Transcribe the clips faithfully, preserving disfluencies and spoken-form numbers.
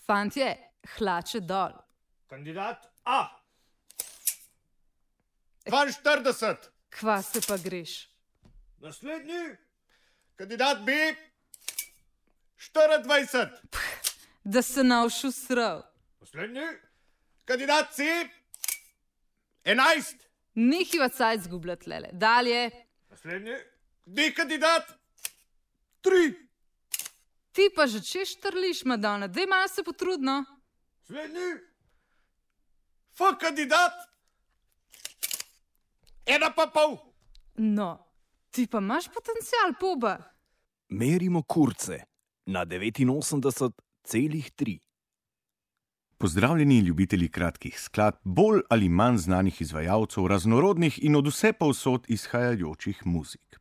Fantje, hlače dol. Kandidat A. dvainštirideset. Kva se pa greš? Naslednji. Kandidat B. štiriindvajset. Da se navšu srav. Naslednji. Kandidat C. enajst. Nehiva cajt zgubljati, lele. Dalje. Naslednji. D kandidat. tri. Ti pa že češ trliš, Madonna. Dej malo se potrudno. Naslednji. F kandidat. Ena pa pol. No, ti pa imaš potencial, poba. Merimo kurce na devetinosemdeset celih tri. Pozdravljeni ljubitelji kratkih skladb, bolj ali manj znanih izvajalcev, raznorodnih in od vse povsod izhajajočih muzik.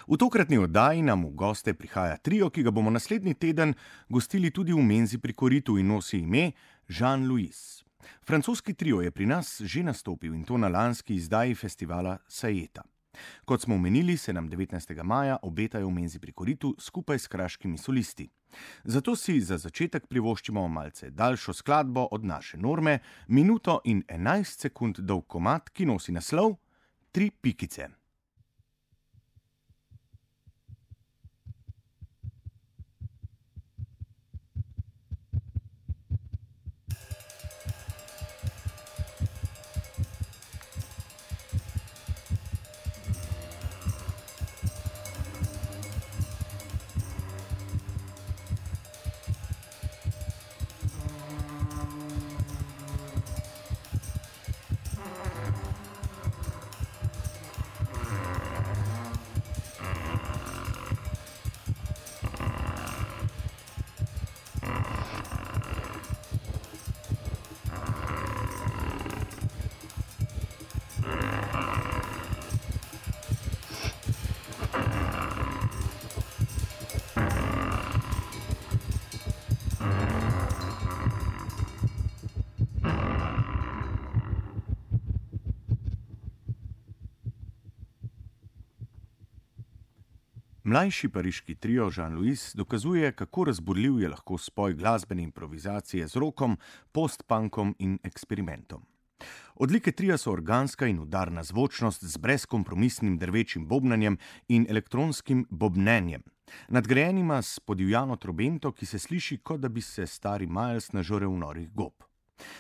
V tokratni oddaji nam v goste prihaja trio, ki ga bomo naslednji teden gostili tudi v menzi pri Koritu in nosi ime Jean-Louis. Francoski trio je pri nas že nastopil in to na lanski izdaji festivala Sajeta. Kot smo omenili, se nam devetnajstega maja obetajo v menzi pri Koritu skupaj s kraškimi solisti. Zato si za začetek privoščimo malce daljšo skladbo od naše norme, minuto in enajst sekund dolg komad, ki nosi naslov Tri pikice. Mlajši pariški trio Jean-Louis dokazuje, kako razburljiv je lahko spoj glasbene improvizacije z rokom, post-punkom in eksperimentom. Odlike tria so organska in udarna zvočnost z brezkompromisnim drvečim bobnanjem in elektronskim bobnenjem, nadgrajenima s podivjano trobento, ki se sliši, kot da bi se stari Miles nažrl v norih gob.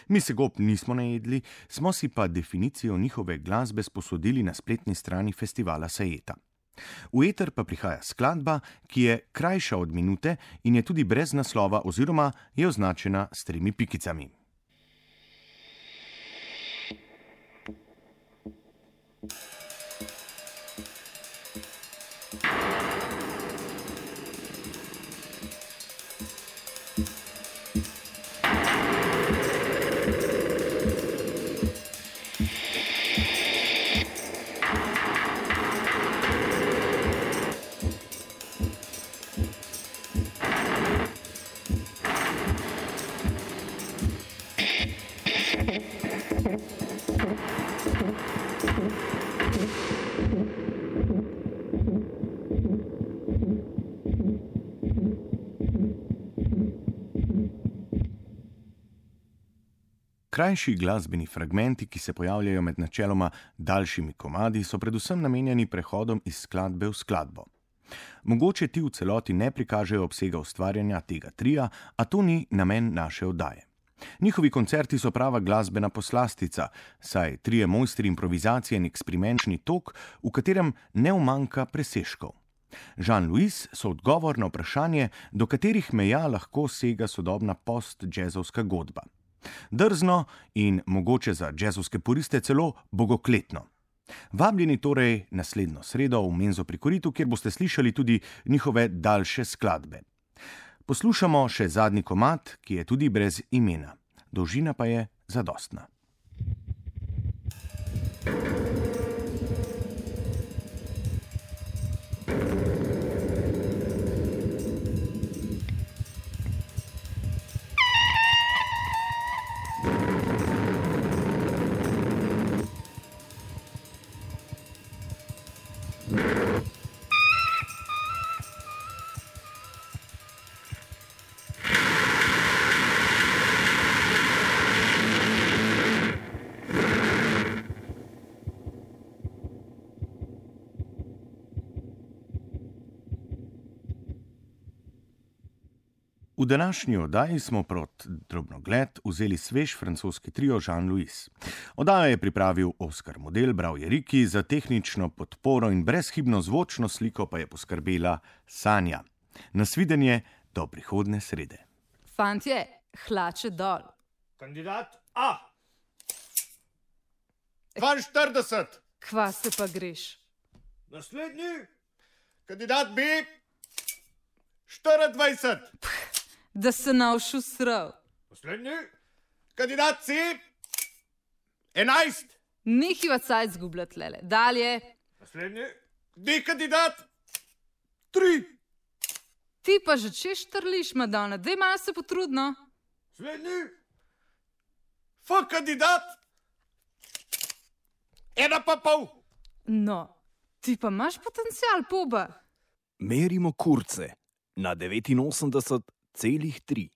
Mi se gob nismo najedli, smo si pa definicijo njihove glasbe sposodili na spletni strani festivala Sajeta. V eter pa prihaja skladba, ki je krajša od minute in je tudi brez naslova oziroma je označena s tremi pikicami. Krajši glasbeni fragmenti, ki se pojavljajo med načeloma daljšimi komadi, so predvsem namenjeni prehodom iz skladbe v skladbo. Mogoče ti v celoti ne prikažejo obsega ustvarjanja tega tria, a to ni namen naše oddaje. Njihovi koncerti so prava glasbena poslastica, saj trije mojstri improvizacije in eksperimenčni tok, v katerem ne umanjka presežkov. Jean-Louis so odgovor na vprašanje, do katerih meja lahko sega sodobna post-džezovska godba. Drzno in mogoče za džezovske puriste celo bogokletno. Vabljeni torej naslednjo sredo v menzo pri Koritu, kjer boste slišali tudi njihove daljše skladbe. Poslušamo še zadnji komad, ki je tudi brez imena. Dolžina pa je zadostna. današnji oddaji smo prot drobnogled vzeli svež francoski trio Jean-Louis. Oddajo je pripravil Oskar Model, bral je Riki, za tehnično podporo in brezhibno zvočno sliko pa je poskrbela Sanja. Nasvidenje do prihodne srede. Fantje, hlače dol. Kandidat A. dvainštirideset. Kva se pa greš? Naslednji. Kandidat B. štiriindvajset. Da se navšu srav. Naslednji. Kandidat C. enajst. Nehiva cajt zgubljat lele. Dalje. Naslednji. D kandidat. tri. Ti pa že češ trliš, Madonna. Dej malo se potrudno. Naslednji. F kandidat. Ena pa pol. No, ti pa imaš potencial, poba. Merimo kurce na devetinosemdeset celih tri.